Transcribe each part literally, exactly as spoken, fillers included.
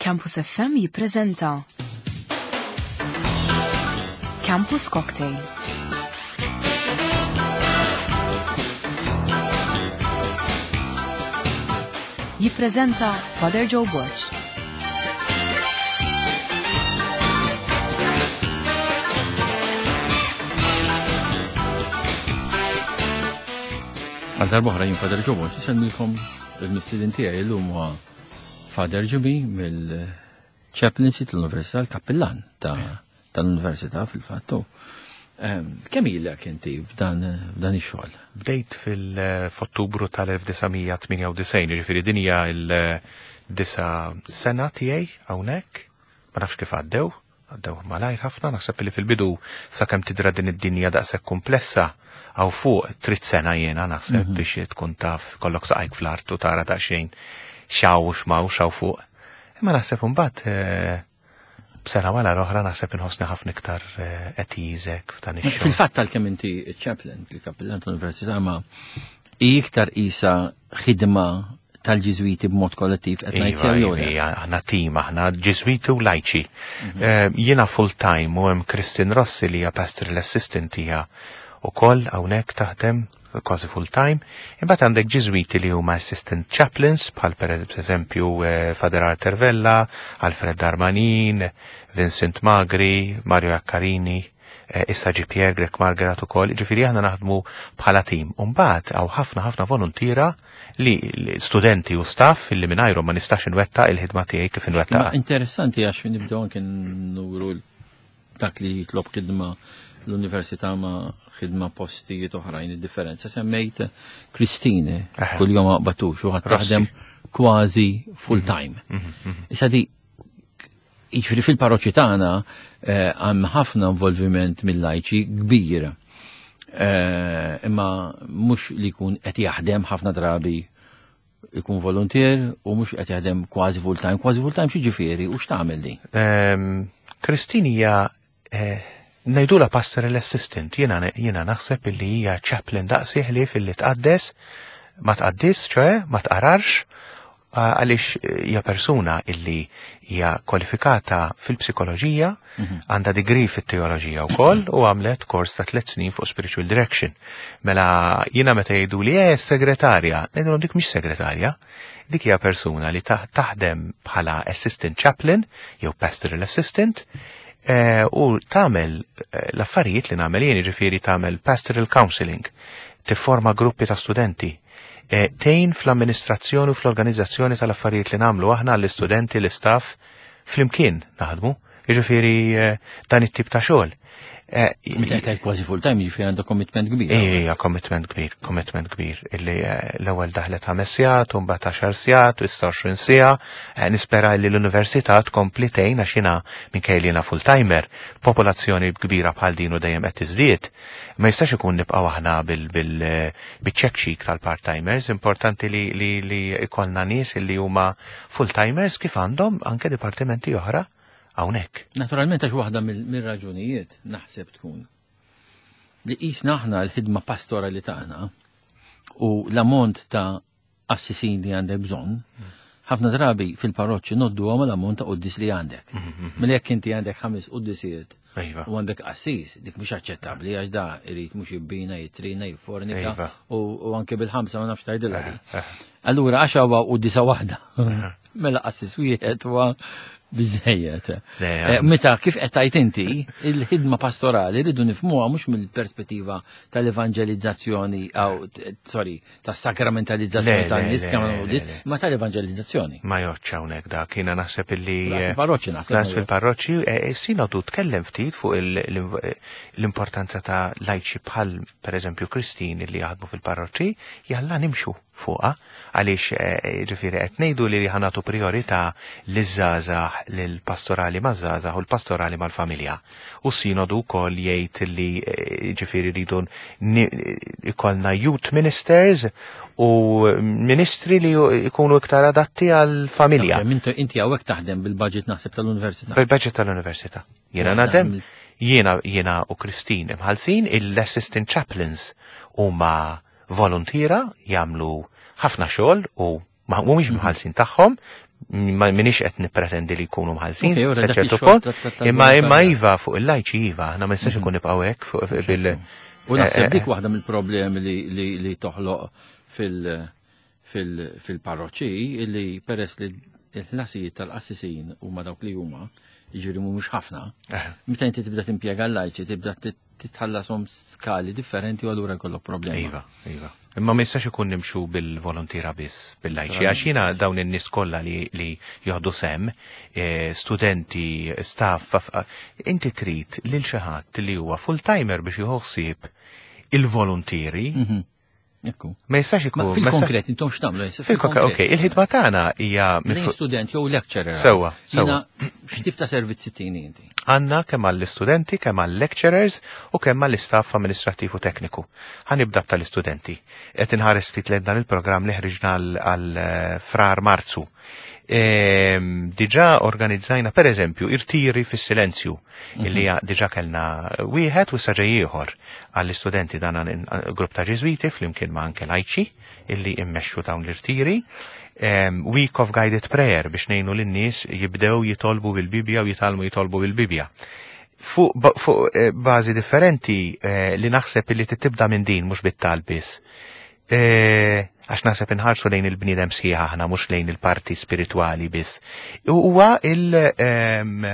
Campus F M jippreżenta Campus Cocktail. Jippreżenta Father Joe Borg. Għal darb'oħra jien Father Joe Borg, insellmilkom. Il-mistieden tiegħi llum huwa Father Jimmy mill-Chaplaincy tal-Università, l-Kappillan tal-Università fil-fattu. Kemm ilek inti f'dan f'dan ix-xogħol? Bdejt fil-Ottubru tal-elf disa' mija tmienja u disgħin, jiġifieri din hija l-disa' sena tiegħi hawnhekk. Ma nafx kif għaddew, għaddew malajr ħafna. Naħseb li fil-bidu, sakemm tidra din id-dinja daqshekk komplessa, għaw fuq trid sena jiena naħseb mhm. biex tkun taf kollok saqajk fl-art u tara daqsxejn x'hawn u x'm'hawn x'hawn fuq. Imma naħseb imbagħad eh, b'sena wara l-oħra naħseb inħossni ħafna iktar eh, at ease f'dan ix-xogħol. Fil-fatt tal-kemm inti chaplain, il-kappillan tal-Università, ma iktar isa ħidma tal-Ġiżwiti b'mod kollettiv qed ngħid sew jew le? Aħna tim, aħna Ġiżwiti u lajċi. Mhm. Eh, jiena full time u hemm Christine Rossi li hija pastoral assistant, hija ukoll hawnhekk taħdem kważi full time. Imbagħad għandek Ġiżwiti li huma assistant chaplains, bħal per eżempju eh, Father Arthur Vella, Alfred Darmanin, Vincent Magri, Mario Accarini, eh, issa ġi Pierre Grech Margaret ukoll, ġifieri aħna naħdmu bħala tim. Imbagħad hawn ħafna ħafna volontiera li studenti u staff li mingħajrhom ma nistax inwettaq il-ħidma tiegħi kif inwettaq. Interessanti għax nibdew anke nuru dak li jitlob ħidma l-università ma' ħidma postijiet oħrajn, id-differenza. Semmejt Christine, kull-jum ma batux, u taħdem kważi full mhm. time. Mhm, mhm. Issa di, jiġifieri fil-parroċċi tagħna eh, hemm ħafna involviment mill-lajċi kbir. Eh, imma mhux li jkun qed jaħdem, ħafna drabi ikun volunteer u mhux qed jaħdem kważi full time. Kważi full time xi ġifieri u x'tagħmel di? Ehm, Christine hija eh, ngħidulha pastoral assistant, jiena jiena naħseb illi hija chaplain daqsi, ħlief illi tqaddes, ma tqaddis, ċoè, ma tqararx, għaliex hija persuna illi hija kwalifikata fil-psikoloġija, mhm. għandha degree fit-teoloġija wkoll u għamlet kors ta' tliet snin fuq spiritual direction. Mela jiena meta jgħidu li eh segretarja, ngħidulhom dik mhix segretarja, dik hija persuna li taħdem bħala assistant chaplain jew pastoral assistant eh, u tagħmel eh, l-affarijiet li nagħmel jien, jiġifieri tagħmel pastoral counseling, tifforma gruppi ta' studenti, eh, tgħin fl-amministrazzjoni u fl-organizzazzjoni tal-affarijiet li nagħmlu aħna l-istudenti, l-istaff, flimkien naħdmu, jiġifieri dan it-tip ta' xogħol. Eh, Meta qed kważi full time, jiġifieri għandha commitment kbir. Ija, commitment kbir, commitment kbir. Illi eh, l-ewwel daħlet ħames sigħat, u mbagħad għaxar sigħat, u issa għoxrin siegħa. Eh, nispera li l-università tkompli tgħin għax jiena minkejja li jiena full timer, popolazzjoni kbira bħal din u dejjem qed tiżdied. Ma jistax ikun nibqgħu aħna bil-check tal-part-timers, importanti li li li ikollna nies li huma full-timers kif għandhom anke dipartimenti oħra hawnhekk. Naturalment, għax waħda mill-raġunijiet naħseb tkun li qisna aħna l-ħidma pastorali tagħna u l-ammont ta' assisin li għandek bżonn, ħafna drabi fil-parroċċi ngħoddu għam l-ammont ta' quddis li għandek. Mhm, Mela jekk inti għandek ħames quddisiet iva. u għandek qassis, dik mhux aċċettabbli għax da irid mhux jibbina, jitrina, jiffornika iva. u anke bil-ħamsa ma nafx tgħidilha. Eh, eh. Allura għax huwa quddisa waħda. Eh. Mela qassis wieħed huwa biżejjed. Eh, meta kif qed tgħid inti, il-ħidma pastorali rridu nifhmuha mhux mill-perspettiva tal-evanġelizzazzjoni aw, sorry, tas-sakramentalizzazzjoni tan-nies kemm, ma tal-evanġelizzazzjoni. Ma joċ hawnhekk dak, jiena naħseb illi fil-parroċċi naħseb. Fil-parroċċi eh, eh, sinodu tkellem ftit fuq l-importanza ta' lajċi bħal pereżempju Christine li jaħdmu fil-parroċċi, jalla nimxu fuqa, għaliex eh, ġifieri qed ngħidu li ħa nagħtu priorità liż-żgħażagħ, lill-pastorali maż-żgħażagħ u l-pastorali mal-familja. U sinodu wkoll jgħid li eh, ġifieri rridu ikollna youth ministers u ministri li jkunu iktar adatti għal-familja. Inti hawnhekk taħdem bil-budget naħseb tal-università. Bil-budget tal-università. Jiena naħdem, jiena jiena u Christine imħalsin, il-assistant chaplains huma volontiera, jagħmlu ħafna xogħol u ma mhumiex mhm. mħallsin tagħhom, Ma minix qed nippretendi li jkunu mħallsin, sa ċertu punt, imma imma iva fuq il-lajċi iva, aħna ma nistax ikun nibqgħu hekk fuq bil. U naħseb dik waħda mill-problemi li li, li toħloq fil fil-parroċċi, illi peress li l-ħlasijiet tal-qassisin huma dawk li huma, jiġifieri mhumiex ħafna, meta inti tibda timpjega l-lajċi, tibda titħallasom skali differenti u allura jkollok problemi. Iva, iva. Imma ma jistax ikun nimxu bil-volontira biss, bil-lajċi, għax jiena dawn in-nies kollha li, li joħdu sem, eh, studenti, staff, inti trid lil xi ħadd li huwa full-timer biex jieħu ħsieb il-volontieri. Mhm. Ekku. Ma jistax ikun. Fil-konkret, intom x'tagħmlu? Fil-konkret, ok, il-ħidma tagħna hija Lejn student jew lecturer. Sewwa, sewwa. X'tip ta' servizzi tini inti? Għandna kemm għall-istudenti, kemm għall-lecturers u kemm għall-istaff amministrattiv u tekniku. Ħa nibda tal-istudenti. Qed inħares ftit lejn dan il-programm li ħriġna għal Frar Marzu. Ehm, diġà organizzajna per eżempju irtiri fis-silenzju, illi diġà kellna wieħed u issa ġej ieħor għall-istudenti, dan grupp ta' Ġiżwiti flimkien ma' anke lajċi illi immexxu dawn l-irtiri. Um, Week of Guided Prayer biex ngħinu lin-nies jibdew jitolbu bil-Bibja u jitgħallmu jitolbu bil-Bibja. Fuq ba, fu, eh, bażi differenti eh, li naħseb illi tibda minn din mhux bit-talb biss. Eh, għax naħseb inħarsu lejn il-bniedem sħiħ aħna, mhux lejn il-parti spiritwali biss. Huwa il- um,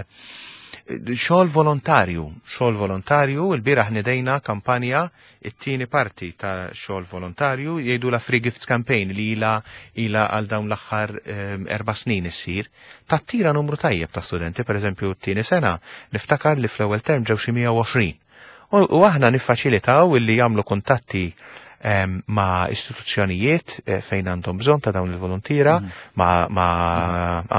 xogħol volontarju, xogħol volontarju, il-bieraħ nidejna kampanja, it-tieni parti ta' xogħol volontarju, jgħidu la Free Gifts Campaign li ila ila għal dawn l-aħħar um, erba' snin issir. Tattira numru tajjeb ta' studenti, per eżempju t-tieni sena, niftakar li fl-ewwel term ġew xi mija u għoxrin. U, u aħna niffaċilitaw illi jagħmlu kuntatti um, ma' istituzzjonijiet eh, fejn għandhom bżonn ta' dawn il-volontira, mm. ma', ma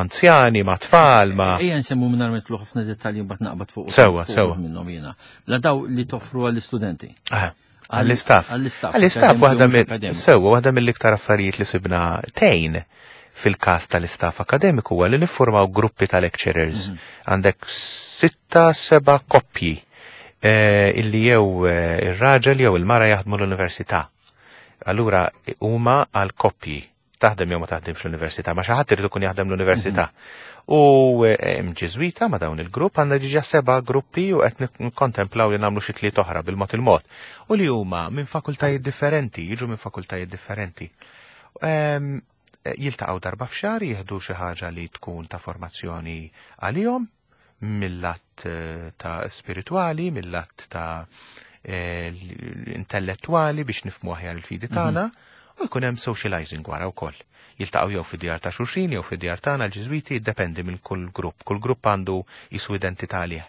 anzjani, ma' tfal, ma' Ejja nsemmu minn nidħlu ħafna dettalji, mbagħad naqbad fuq. Sewwa, sewwa. Minnhom jiena. La daw li toffru għall-istudenti. Ah, għall-istaff. Għall-istaff. Għall-istaff waħda mill sewwa, waħda mill-iktar affarijiet li sibna tgħin fil-każ tal-istaff akademiku huwa li niffurmaw gruppi ta' lecturers. Mhm. Għandek sitta, seba' koppji eh, illi jew eh, ir-raġel jew il-mara jaħdmu l-università. Allura huma għal koppji, taħdem jew ma taħdimx l-università, ma xi ħadd irid ikun jaħdem l-università. U hemm Ġiżwita ma' dawn il-grupp, għandna diġà seba' gruppi u qed nikkontemplaw li nagħmlu xi tliet oħra bil-mod il-mod. U li huma minn fakultajiet differenti, jiġu minn fakultajiet differenti. Ehm, Jiltaqgħu darba f'xahar, jieħdu xi ħaġa li tkun ta' formazzjoni għalihom mill-lat eh, ta' spiritwali, mill-lat ta' eh, intellettuali biex nifhmu aħjar il-fidi tagħna u jkun hemm socializing wara wkoll. Jiltaqgħu jew fid-djar ta' xulxin jew fid-djar tagħna l-Ġiżwiti, jiddependi minn kull grupp. Kull grupp għandu jisu identità għalih.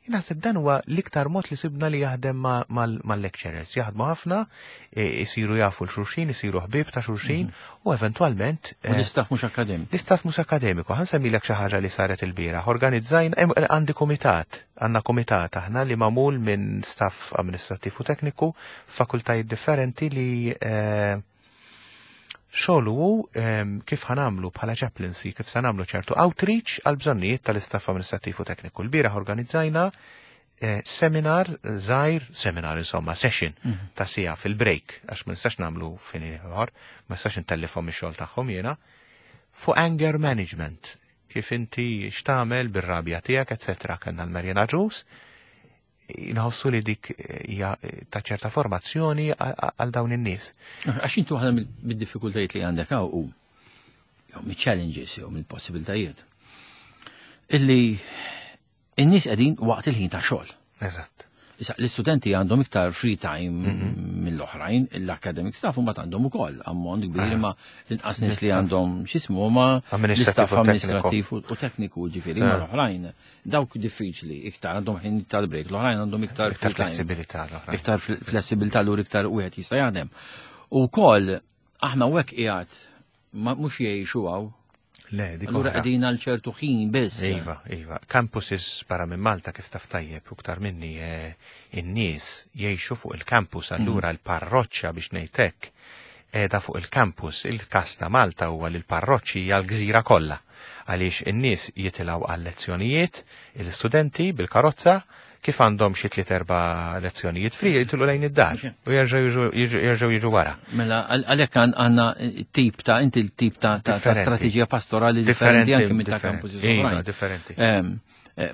Naħseb dan huwa l-iktar mod li sibna li jaħdem mal-lecturers. Jaħdmu ħafna, isiru jafu l-xulxin, isiru ħbieb ta' xulxin u eventwalment. U l-istaff mhux akademiku. L-istaff mhux akademiku. Ħa nsemmilek xi ħaġa li saret il-bieraħ. Organizzajna, għandi komitat, għandna komitat aħna li magħmul minn staff amministrattiv u tekniku, fakultajiet differenti, li xogħlu hu kif ħa nagħmlu bħala chaplaincy, kif sa nagħmlu ċertu outreach għal bżonnijiet tal-istaff amministrattiv u tekniku. L-bieraħ organizzajna eh, seminar żgħir, seminar insomma, session mhm. ta' siegħa fil-break, għax ma nistax nagħmlu fin ieħor, ma nistax intellifhom ix-xogħol tagħhom jiena, fuq anger management, kif inti x'tagħmel bir-rabja tiegħek, eċetera. Kellna l-Marjan Agius, inħossu li dik hija ta' ċerta formazzjoni għal dawn in-nies. Għax intu waħda mid-diffikultajiet li għandek hawn u jew mill-challenges jew mill-possibiltajiet, illi in-nies qegħdin waqt il-ħin ta' xogħol. Eżatt. Issa, l-istudenti għandhom iktar free time mhm. mill-oħrajn, l-academic staff huma għandhom ukoll ammont kbir, ma l-inqas nies li għandhom x'ismu ma l-istaff amministrattiv u tekniku, ġifieri, ma l-oħrajn. Dawk diffiċli, iktar għandhom ħin tal-break, l-oħrajn għandhom iktar iktar flessibilità l-oħrajn. Iktar flessibilità, l iktar wieħed jista' jaħdem. U wkoll aħna hekk qiegħed mhux jgħixu hawn. Le, dik Allura qegħdin għal ċertu ħin biss. Iva, iva. Campuses barra minn Malta, kif taf tajjeb u iktar minni, eh, in-nies jgħixu fuq il-campus, allura mhm. l-parroċċa, biex ngħidlek, qiegħda fuq il-campus. Il-kas ta' Malta huwa li l-parroċċi hija l-gżira kollha. Għaliex in-nies jitilgħu għal lezzjonijiet, il-studenti bil-karozza, Kif għandhom xi tliet erba' lezzjonijiet free jitilqu lejn id-dar u jerġgħu jerġgħu jiġu wara. Mela għalhekk għandna tip ta' inti l-tip ta' strateġija pastorali differenti anke minn ta' campus oħrajn. Differenti.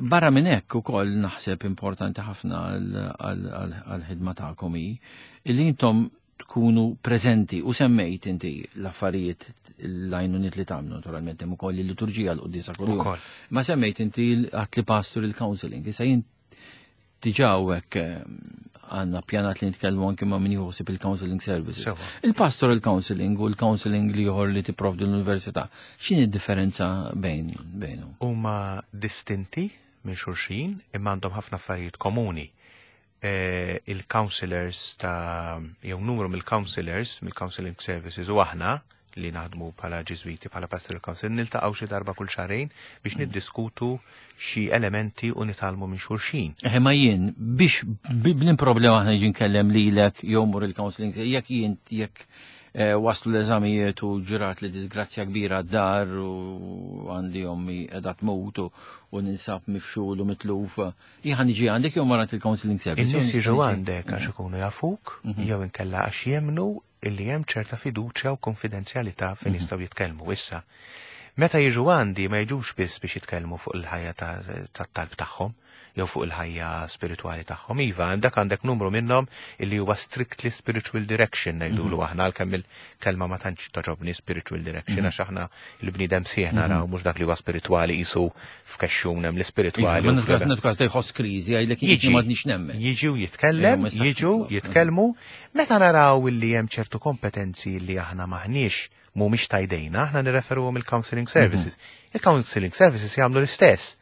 Barra minn hekk ukoll naħseb importanti ħafna għall-ħidma tagħkom hi li intom tkunu preżenti u semmejt inti l-affarijiet l-għajnuniet li tagħmlu naturalment hemm ukoll il-liturġija l-quddiesa kuljum. Ma semmejt inti għat li pastoral counseling. Issa jien diġà hekk għandna pjanat li nitkellmu anke ma' min jħossib il-counseling services. Il-pastoral counseling u l-counseling li ieħor li tipprovdi l-università, x'inhi d-differenza bejn bejnhom? Huma distinti minn xulxin imma għandhom ħafna affarijiet komuni. Il-counselors ta' jew numru mill-counselors mill-counseling services u aħna li naħdmu bħala Ġiżwiti bħala pastoral council niltaqgħu xi darba kull xahrejn biex niddiskutu xi elementi u nitgħallmu minn xulxin. Eħe ma jien biex b'lin problema aħna jiġi nkellem lilek jew mur il-counseling jekk jien jekk waslu l-eżamijiet u ġrat li disgrazzja kbira d-dar u għandi ommi qiegħda tmut u ninsab mifxul u mitluf. Jien niġi għandek jew marat il-counseling service. In-nies jiġu għandek għax ikunu jafuk jew inkella għax jemnu illi hemm ċerta fiduċja u konfidenzjalità fejn jistgħu jitkellmu issa. Meta jiġu għandi ma jiġux biss biex jitkellmu fuq il-ħajja tat-talb tagħhom jew fuq il-ħajja spiritwali tagħhom. Iva, għandek għandek numru minnhom illi huwa strictly spiritual direction ngħidulu aħna għalkemm il-kelma ma tantx toġobni spiritual direction għax aħna il-bniedem sieħ naraw mhux dak li huwa spiritwali qisu f'kexxun hemm l-ispiritwali. Ma nitkaż jħoss kriżi għajlek jiġi m'għadniex nemmen. Jiġu jitkellem, jiġu jitkellmu, meta naraw illi hemm ċertu kompetenzi li aħna maħniex mhumiex tajdejna, aħna nirreferuhom il-counseling services. Il-counseling services jagħmlu l-istess.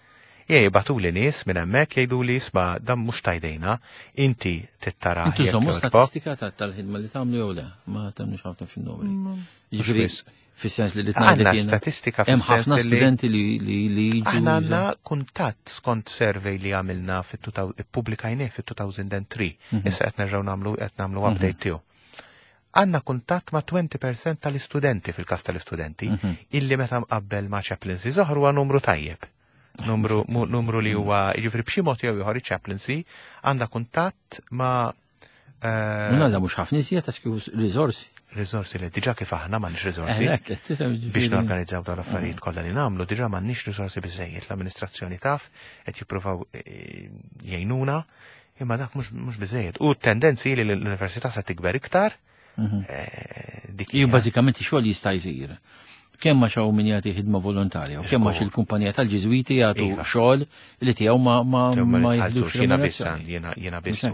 Jibagħtu li nies minn hemmhekk jgħidu li isma' dan mhux tajdejna, inti tittara. Intu żommu statistika tal-ħidma li tagħmlu jew le, ma tagħmlux ħafna fin-numri. Jiġifieri fis-sens li għandna statistika hemm ħafna studenti li li jiġu. Aħna għandna kuntatt skont survey li għamilna ippubblikajnieh fit-two thousand three. Issa qed nerġgħu nagħmlu qed nagħmlu update tiegħu. Għandna kuntatt ma' twenty percent tal-istudenti fil-każ tal-istudenti illi meta mqabbel ma' chaplaincy oħra huwa numru tajjeb. Numru, numru li huwa, jiġifieri b'xi mod jew ieħor chaplaincy għandha kuntatt ma' Għandha mhux ħafna iżjed għax kieku riżorsi. Riżorsi li diġà kif aħna m'għandniex riżorsi. Biex norganizzaw dawn l-affarijiet kollha li nagħmlu, diġà m'għandniex riżorsi biżejjed. L-amministrazzjoni taf qed jippruvaw jgħinuna, imma dak mhux biżejjed. U t-tendenzi li l-università se tikber iktar. Iju bażikament xogħol jista' jsir. Kemm ma xaw min jagħti ħidma volontarja u kemm ma il-kumpanija tal-Ġiżwiti jagħtu xogħol li tiegħu ma ma ma jieħdux. Jiena biss jiena biss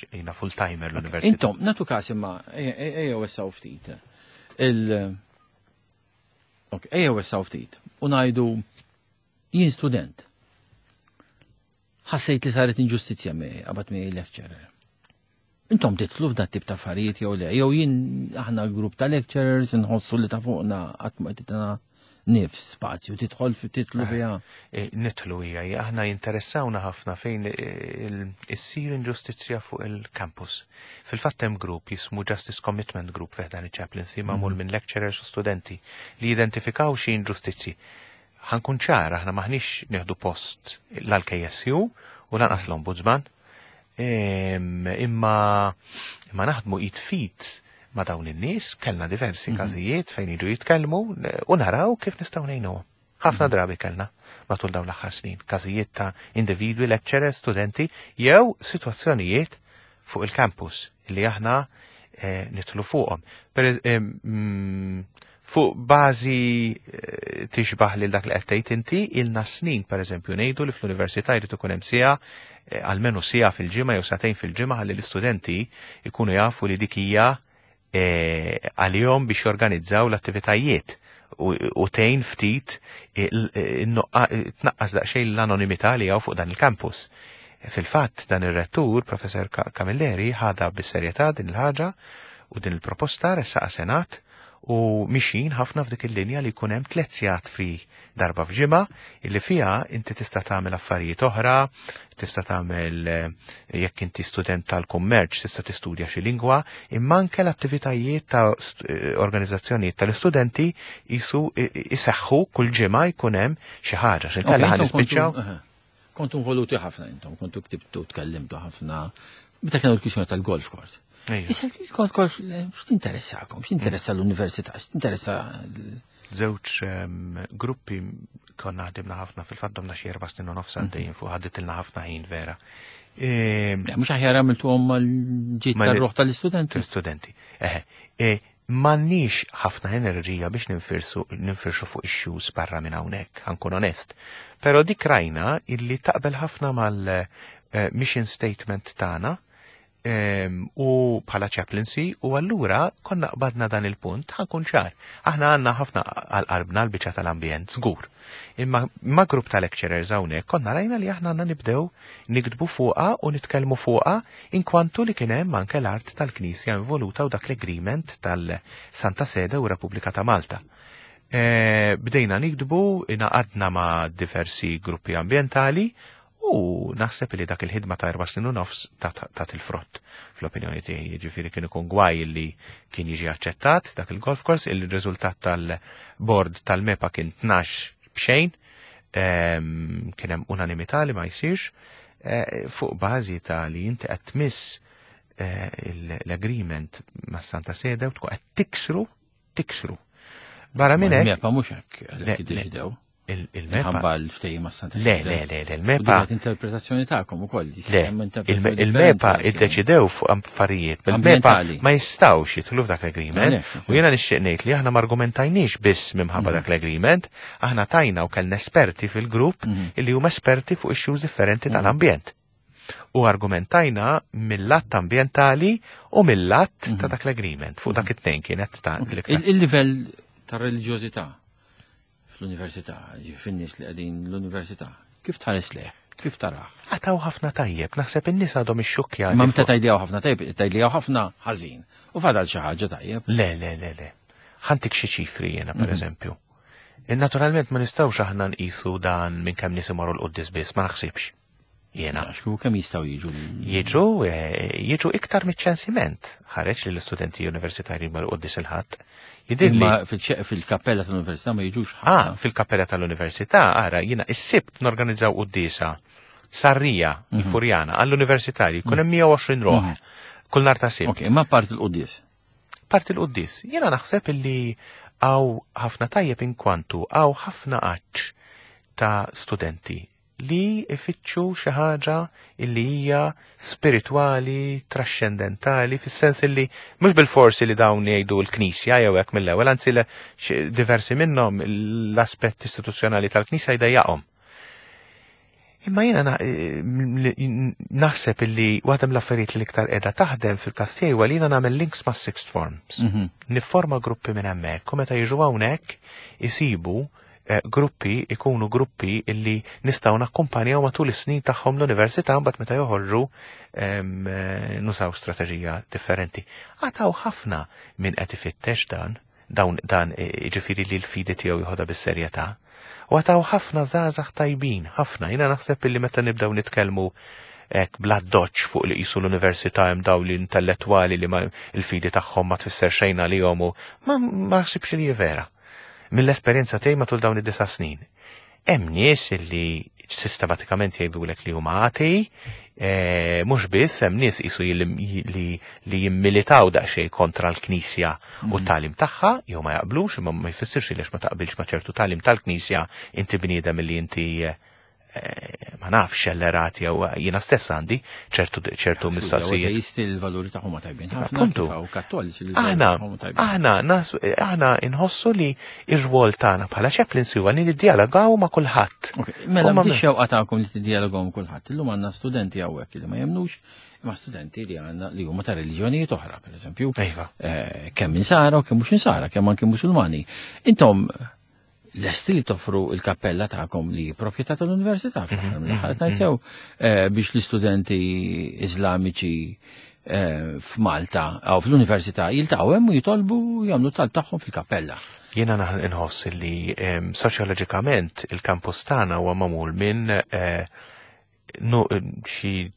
jiena full timer l-università. Intom nagħtu każ imma ejjew essaw ftit. Il Ok, ejjew essaw ftit u ngħidu jien student. Ħassejt li saret inġustizzja miegħi qabad miegħi lecturer. Intom titlu f'dat tip ta' affarijiet jew le, jew jien aħna grupp ta' lecturers inħossu li ta' fuqna qatt ma titna nifs spazju tidħol fi titlu fiha. Nitlu hija, aħna jinteressawna ħafna fejn issir inġustizzja fuq il-campus. Fil-fatt hemm grupp jismu Justice Commitment Group fih dan il-chaplaincy magħmul minn lecturers u studenti li jidentifikaw xi inġustizzji. Ħankun ċar, aħna maħniex nieħdu post l-K S U u lanqas l-Ombudsman. Imma imma naħdmu id f'id ma' dawn in-nies, kellna diversi każijiet fejn jiġu jitkellmu u naraw kif nistgħu ngħinuhom. Ħafna drabi kellna matul dawn l-aħħar snin każijiet ta' individwi, lecturers, studenti jew sitwazzjonijiet fuq il-campus li aħna nitlu fuqhom. Fuq bażi tixbaħ lil dak li qed tgħid inti, ilna snin pereżempju ngħidu li fl-università jrid ikun hemm siegħa almenu siegħa fil-ġimgħa jew sagħtejn fil-ġimgħa ħalli l-istudenti jkunu jafu li dik hija għalihom biex jorganizzaw l-attivitajiet u tgħin ftit tnaqqas daqsxejn l-anonimità li hawn fuq dan il-campus. Fil-fatt dan ir-rettur, Professor Camilleri, ħadha bis-serjetà din il-ħaġa u din il-proposta ressaqa Senat u mixin ħafna f'dik il-linja li jkun hemm tliet sigħat free darba f'ġimgħa illi fiha inti tista' tagħmel affarijiet oħra, tista' tagħmel jekk inti student tal-kummerċ tista' tistudja xi lingwa, imma anke l-attivitajiet ta' organizzazzjonijiet tal-istudenti jisu iseħħu kull ġimgħa jkun hemm xi ħaġa x'inkella ħa nispiċċaw. Kontu involuti ħafna intom, kontu ktibtu, tkellimtu ħafna. Meta kienu l-kwistjoni tal-golf course. Ejja. Issa il-golf course, eh, x'tinteressakom, x'tinteressa l-università, x'tinteressa l- Żewġ ehm, gruppi konna ħdimna ħafna fil-fatt domna xi erba' snin u nofs għaddejjin fuq ħaditilna ħafna ħin vera. Ehm, Le, mhux aħjar għamiltuhom mal-ġid Mal- tar-ruħ tal-istudenti. Tal-studenti. Eħe, e, m'għandniex ħafna enerġija biex ninfirsu ninfirxu fuq issues barra minn hawnhekk, ħa nkun onest. Però dik rajna illi taqbel ħafna mal-mission statement tagħna em, u bħala chaplaincy u allura konna qbadna dan il-punt ħa nkun ċar. Aħna għandna ħafna għal qalbna l-biċċa tal-ambjent, żgur. Imma ma' grupp ta' lecturers hawnhekk konna rajna li aħna għandna nibdew niktbu fuqha u nitkellmu fuqha inkwantu li kien hemm anke l-art tal-Knisja involuta u dak l-agreement tal-Santa Sede u Repubblika ta' Malta. E, bdejna niktbu, ingħaqadna ma' diversi gruppi ambientali u naħseb li dak il-ħidma ta' erba' snin u nofs tat il-frott fl-opinjoni tiegħi. Jiġifieri kien ikun gwaj li kien jiġi aċċettat dak il-golf course, il-riżultat tal-board tal-MEPA kien tnax b'xejn, em, kien hemm unanimità li ma jsirx, eh, fuq bażi ta' li inti qed tmiss eh, l-agreement ma' Santa Sede u tkun qed tiksru, tiksru. Barra minn hekk, Il-MEPA mhux hekk Le, għalhekk le, iddeċidew. il- il-MEPA Minħabba l-ftehim ma' Santa Le, Sede. le, le, le, U il-MEPA dik interpretazzjoni tagħkom ukoll. Le, hemm il- interpretazzjoni il-MEPA differenti. iddeċidew fuq affarijiet, il-MEPA Ambientali. ma jistawx jidħlu f'dak l-agreement, Għalhekk, u jiena nixtieq ngħid li aħna ma argumentajniex biss minħabba dak l-agreement, aħna tajna u kellna esperti fil-grupp illi huma esperti fuq issues differenti tal-ambjent. U argumentajna mill-lat ambientali u mill-lat ta' dak l-agreement, fuq dak it-tnejn kienet ta' l-iktar. Il- Il-livell ta' reliġjożità fl-università, fin-nies li qegħdin l-università, kif tħares leh? Kif taraħ? Għad hawn ħafna tajjeb, naħseb in-nies għadhom ixxukkjati. Ma meta fuq- tgħidli ħafna tajjeb, tgħidli ħafna ħażin. U fadal xi ħaġa tajjeb. Le, le, le, le. Ħa ntik xi ċifri jena, per eżempju. E, Naturalment ma nistgħux aħna nqisu dan minn kemm nies imorru l-quddies biss, ma naħsibx. Jena. Għax kieku kemm jistgħu jiġu l- Jiġu, eh, jiġu iktar miċ-ċensiment. Ħareġ li l-istudenti universitarji jmorru quddies il-Ħadd. Jidhirli Imma fil- fil-kappella tal-università ma jiġux Ah, ħafna. fil-kappella tal-università, ara, jiena is-Sibt norganizzaw quddiesa Sarrija, il-Furjana, għall-universitarji, kun hemm mija u għoxrin ruħ. Kull nhar ta' Sibt. Ok, ma parti l-quddies. Parti l-quddies, jiena naħseb illi hawn ħafna tajjeb inkwantu hawn ħafna għatx ta' studenti li ifittxu xi ħaġa illi hija spirituali, trascendentali, fis-sens illi mhux bil-forsi li dawn jgħidu l-Knisja jew hekk mill-ewwel, anzi le- xi- diversi minnhom l-aspett istituzzjonali tal-Knisja jdejjaqhom. Imma jiena na- eh, naħseb illi waħda mill-affarijiet li l-iktar qiegħda taħdem fil-każ tiegħi huwa li jiena nagħmel links ma' sixth forms. Mhm. Nifforma gruppi minn hemmhekk u meta jiġu hawnhekk isibu eh, gruppi ikunu gruppi illi nistgħu nakkumpanjaw matul is-snin tagħhom l-università, mbagħad meta joħorġu em, eh, nużaw strateġija differenti. Għad hawn ħafna min qed ifittex dan, dawn dan eh, jiġifieri li l-fidi tiegħu joħodha bis-serjetà. U għad hawn ħafna żgħażagħ tajbin, ħafna. Jiena naħseb illi meta nibdew nitkellmu hekk bla doċ fuq li qisu l-università hemm dawn l-intellettwali li ma il-fidi tagħhom ma tfisser xejn għalihom u ma ma naħsibx li hi vera. Mill-esperjenza tiegħi matul dawn id-disa' snin. Hemm nies illi sistematikament jgħidulek li huma atei, eh, mhux biss hemm nies qisu li, li, li jimmilitaw daqsxejn kontra l-Knisja u t-tagħlim tagħha, jew ma jaqblux, imma ma jfissirx li ma taqbilx ma ċertu tagħlim tal-Knisja inti bniedem li inti eh, ma nafx xellerat jew jiena stess għandi ċertu ċertu mistoqsijiet. Ateisti l-valuri tagħhom ma tajbin ħafna. Appuntu. kif hawn kattoliċi li l-valuri Aħna, tagħhom huma tajbin. aħna, nas, aħna inħossu li ir-rwol tagħna bħala chaplains huwa li niddialogaw ma' kulħadd. Ok, mela U ma- biex xewqa tagħkom li tiddialogaw ma' kulħadd. Illum għandna studenti hawnhekk li ma jemnux, imma studenti li għandna li huma ta' reliġjonijiet oħra, pereżempju. Iva. Eh, kemm insara u kemm mhux insara, kemm anke Musulmani. Intom lesti li toffru il-kappella tagħkom li proprjetà tal-università fl-aħħar mill-aħħar ngħid sew, eh, biex l-istudenti Iżlamiċi eh, f'Malta jew fl-università jiltaqgħu hemm u jitolbu jagħmlu talb tagħhom fil-kappella. Jiena naħ- inħoss li em, soċjoloġikament il-kampus tagħna huwa magħmul minn eh, nu- xi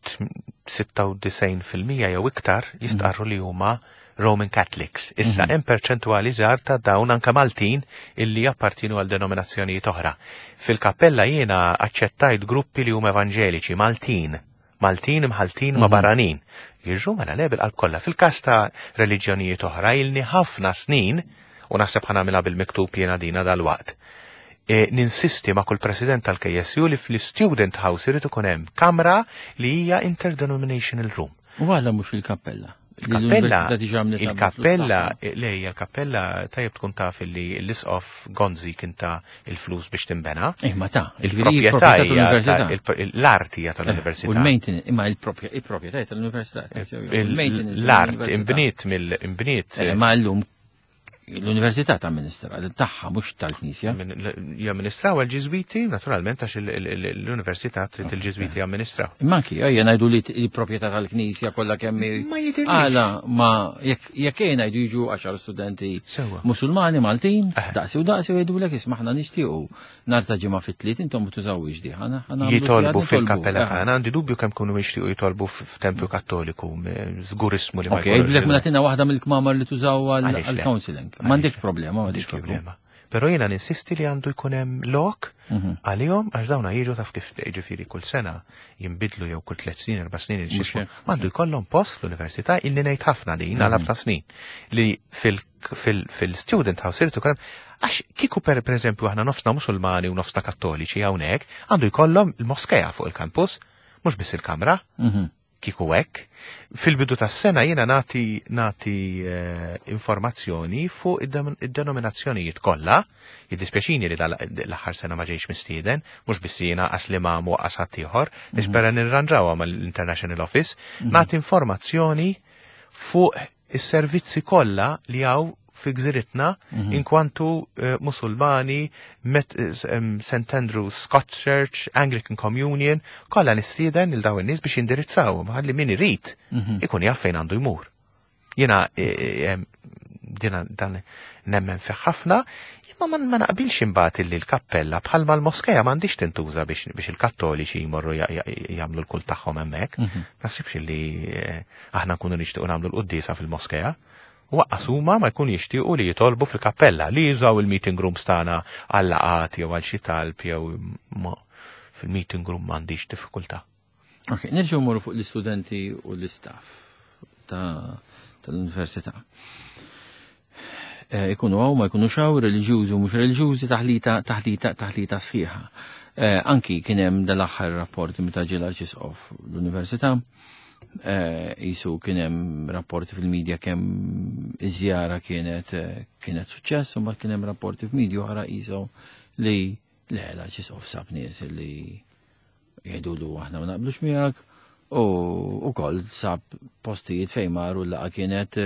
sitta u disgħin fil-mija jew iktar jistqarru li huma Roman Catholics. Issa hemm perċentwali żgħar ta' dawn anke Maltin illi jappartienu għal denominazzjonijiet oħra. Fil-kappella jiena aċċettajt gruppi li huma evanġeliċi Maltin, Maltin imħaltin ma' barranin. Jiġu mela le bil-qalb kollha. Fil-każ ta' reliġjonijiet oħra ilni ħafna snin u naħseb ħa nagħmilha bil-miktub jiena dina dal-waqt. E, ninsisti ma' kull president tal-K S U li fl-Student House irid ikun hemm kamra li hija interdenominational room. U għala mhux il-kappella? Il-kappella, il-kappella, lej, il-kappella tajjeb tkun taf li l-isqof Gonzi kien ta il-flus biex timbena. Eh, ma ta' Il-proprjetà hija l-art hija tal-università. U l-maintenance, imma il-proprjetà tal-università. L-art imbniet mill-imbniet. Eh, ma llum l-università ta' amministra, tagħha, mhux tal-Knisja. Jamministraw għal-Ġiżwiti, naturalment, għax l-università trid il-Ġiżwiti jamministraw. Imma anki, ejja ngħidu li l-proprjetà tal-Knisja kollha kemm Ma jidhirlix. Għala, ma jekk jekk ejja ngħidu jiġu għaxar studenti Sewwa. Musulmani Maltin, Eh. daqsi u daqsi u jgħidulek, isma', aħna nixtiequ nhar ta' Ġimgħa fit-tliet intom tużawx di. Ħana ħana Jitolbu fil-kappella tagħna, għandi dubju kemm kunu jixtiequ jitolbu f'tempju Kattoliku, żgur ismu li ma Ok, jkollux jgħidulek il- mela tina waħda mill-kmamar li tużaw Għaliex le? għal-counseling. M'għandek problema, M'għandix m'għandek problema. Però jiena ninsisti li għandu jkun hemm lok Mhm. għalihom, għax dawna jiġu, taf kif, ġifieri kull sena jinbidlu jew kull tliet snin, erba' snin, Mhux x'ismu. hekk. M'għandu jkollhom post fl-università, illi ngħid ħafna din għal ħafna snin li fil-student house irid ikun hemm, għax kieku per eżempju aħna nofsna Musulmani u nofsna Kattoliċi hawnhekk, għandu jkollhom il-moskeja fuq il-campus, mhux biss il-kamra Mhm. kieku hekk. Fil-bidu tas-sena jiena nagħti nagħti eh, informazzjoni fuq id-denominazzjonijiet kollha. Jiddispjaċini li l-aħħar sena ma ġejx mistieden, mhux biss jiena, qas li ma qas ħadd ieħor, nispera nirranġawha mal-International Office, nagħti informazzjoni fuq is-servizzi kollha li hawn fi gżiritna inkwantu eh, Musulmani, Met, eh, Saint Andrew's Scots Church, Anglican Communion, kollha nistieden il dawn in-nies biex jindirizzawhom ħalli min irid ikun jaf fejn għandu jmur. Jiena eh, dina dan nemmen fih ħafna, imma ma ma naqbilx imbagħad illi l-kappella bħalma l-moskeja m'għandix tintuża biex biex il-Kattoliċi jmorru jagħmlu l-kult tagħhom hemmhekk. Naħsibx illi aħna nkunu nixtiequ nagħmlu l-quddiesa fil-moskeja. Lanqas huma ma jkun jixtiequ li jitolbu fil-kappella, li jużaw il-meeting rooms tagħna għal laqgħat jew għal xi talb jew fil-meeting room m'għandix diffikultà. Ok, nerġgħu mmorru fuq l-istudenti u l-istaff tal-università. Eh, ikunu hawn, ma jkunu xaw, reliġjużi u mhux reliġjużi, taħlita, taħlita, taħlita sħiħa. Eh, anki kien hemm dal-aħħar rapporti meta ġie l-Arċisqof l-università, eh, jisu kien hemm rapporti fil-medja kemm iż-żjara kienet kienet suċċess, u mbagħad kien hemm rapporti f'medja oħra jisu li le, l-Arċisqof sab nies li jgħidulu aħna ma naqblux miegħek u ukoll sab postijiet fejn maru l-laqgħa kienet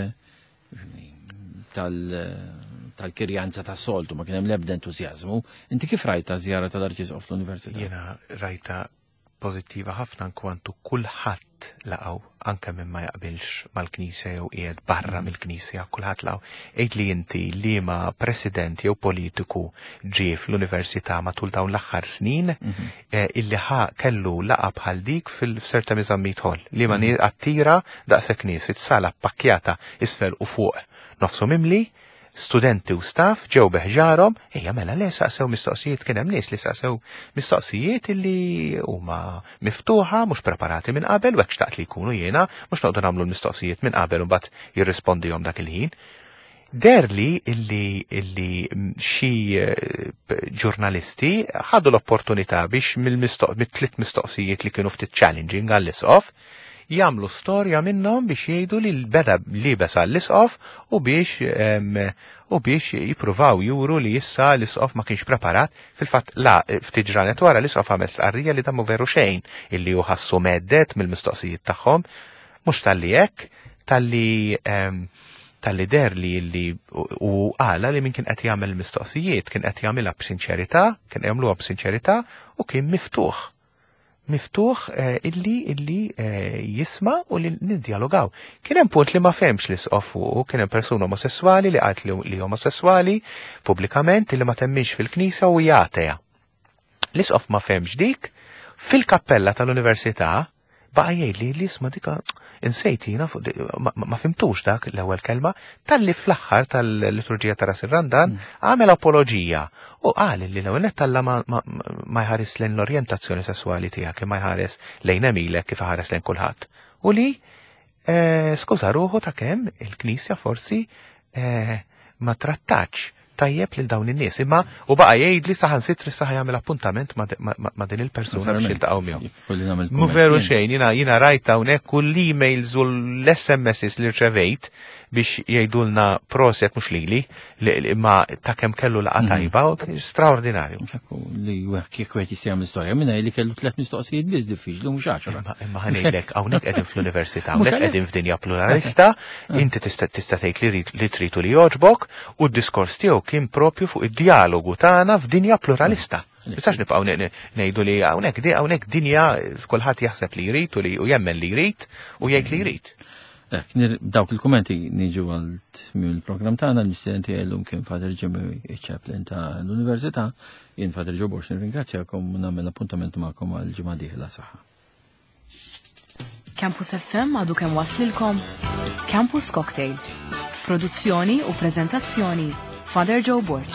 tal-kirjanza ta' soltu, ma kien hemm l-ebda entużjażmu. Inti kif rajta żjara tal-Arċisqof fl-Università? Jiena rajta pożittiva ħafna kwantu kulħadd laqgħu, anke minn ma jaqbilx mal-Knisja jew qiegħed barra mill-Knisja, kulħadd laqgħu. Għid li inti liema president jew politiku ġie fl-università matul dawn l-aħħar snin eh, illi ħa kellu laqa bħal dik fil-Sir Temi Zammit Hall li ma mm attira daqshekk nies, it-sala pakkjata isfel u fuq nofsu mimli, studenti u staff ġew beħġarhom, ejja mela le, saqsew mistoqsijiet, kien hemm nies li saqsew mistoqsijiet illi huma miftuħa, mhux preparati minn qabel, u hekk xtaqt li jkunu jiena, mhux noqogħdu nagħmlu l-mistoqsijiet minn qabel u mbagħad jirrispondihom dak il-ħin. Derli illi illi xi eh, ġurnalisti ħadu l-opportunità biex mill-tliet mistoqsijiet li kienu ftit challenging għall-isqof jagħmlu storja minnhom biex jgħidu li l-beda libes għall-isqof u biex u biex jippruvaw juru li issa l-isqof ma kienx preparat. Fil-fatt la, ftit ġranet wara l-isqof għamel stqarrija li damu veru xejn illi hu ħassu mhedded mill-mistoqsijiet tagħhom, mhux talli hekk, talli talli der li li u għala li min kien qed jagħmel mistoqsijiet kien qed jagħmilha b'sinċerità, kien jagħmluha b'sinċerità u kien miftuħ miftuħ eh, illi illi eh, jisma' u li niddialogaw. Kien hemm punt li ma fehmx l-isqof fuq, kien hemm persuna omosessuali li qalt li omosessuali pubblikament, li ma temminx fil-knisja u hija atea. L-isqof ma fehmx dik, fil-kappella tal-università baqa' jgħid li l-isma' dika Insejt jiena fuq di- ma, ma ma fhimtux dak l-ewwel kelma, talli fl-aħħar tal-liturġija ta' Ras ir-Randan għamel apoloġija u qal li l-ewwel nett Alla ma, ma, ma jħares lejn l-orjentazzjoni sesswali tiegħek imma jħares lejn għemilek kif iħares lejn kulħadd. U li eh, skuża ruħu ta' kemm il-Knisja forsi eh, ma trattax tajjeb lil dawn in-nies, imma u baqa' jgħid li saħansitra issa jagħmel appuntament ma, ma, ma, ma din il-persuna biex jiltaqgħu miegħu. Jekk kolli nagħmel Mu kumment veru jien. xejn, jina, jina rajt hawnhekk kull l-emails u l-S M Ss li rċevejt biex jgħidulna proset, mhux lili, li- li- imma ta' kemm kellu laqgħa tajba, u straordinarju. Mhux hekk li wieħed kieku qed jista' jagħmel istorja minna li kellu tliet mistoqsijiet biss diffiċli, mhux għaxra. Imma imma ħa ngħidlek, hawnhekk qegħdin fl-università, Mhux hawnhekk għalhekk. qegħdin f'dinja pluralista, inti tista' tista' tgħid li rid- li trid u li jogħġbok, u d-diskors tiegħu kien propju fuq id-dialogu tagħna f'dinja pluralista. Nistax nibqgħu ne- ne- ngħidu li hawnhekk di hawnhekk dinja kulħadd jaħseb li jrid u li u jemmen li jrid u jgħid li jrid. Ek, nir- dawk il-kommenti niġu għal tmiem il-programm tagħna. L-mistieden tiegħi llum kien Father Jimmy, chaplain ta' l-Università. Jien Father Joe Borg nirringrazzjakom u nagħmel appuntament magħkom għal ġimgħa dieħla. Saħħa. Campus F M għadu kemm waslilkom Campus Cocktail. Produzzjoni u prezentazzjoni, Father Joe Borg.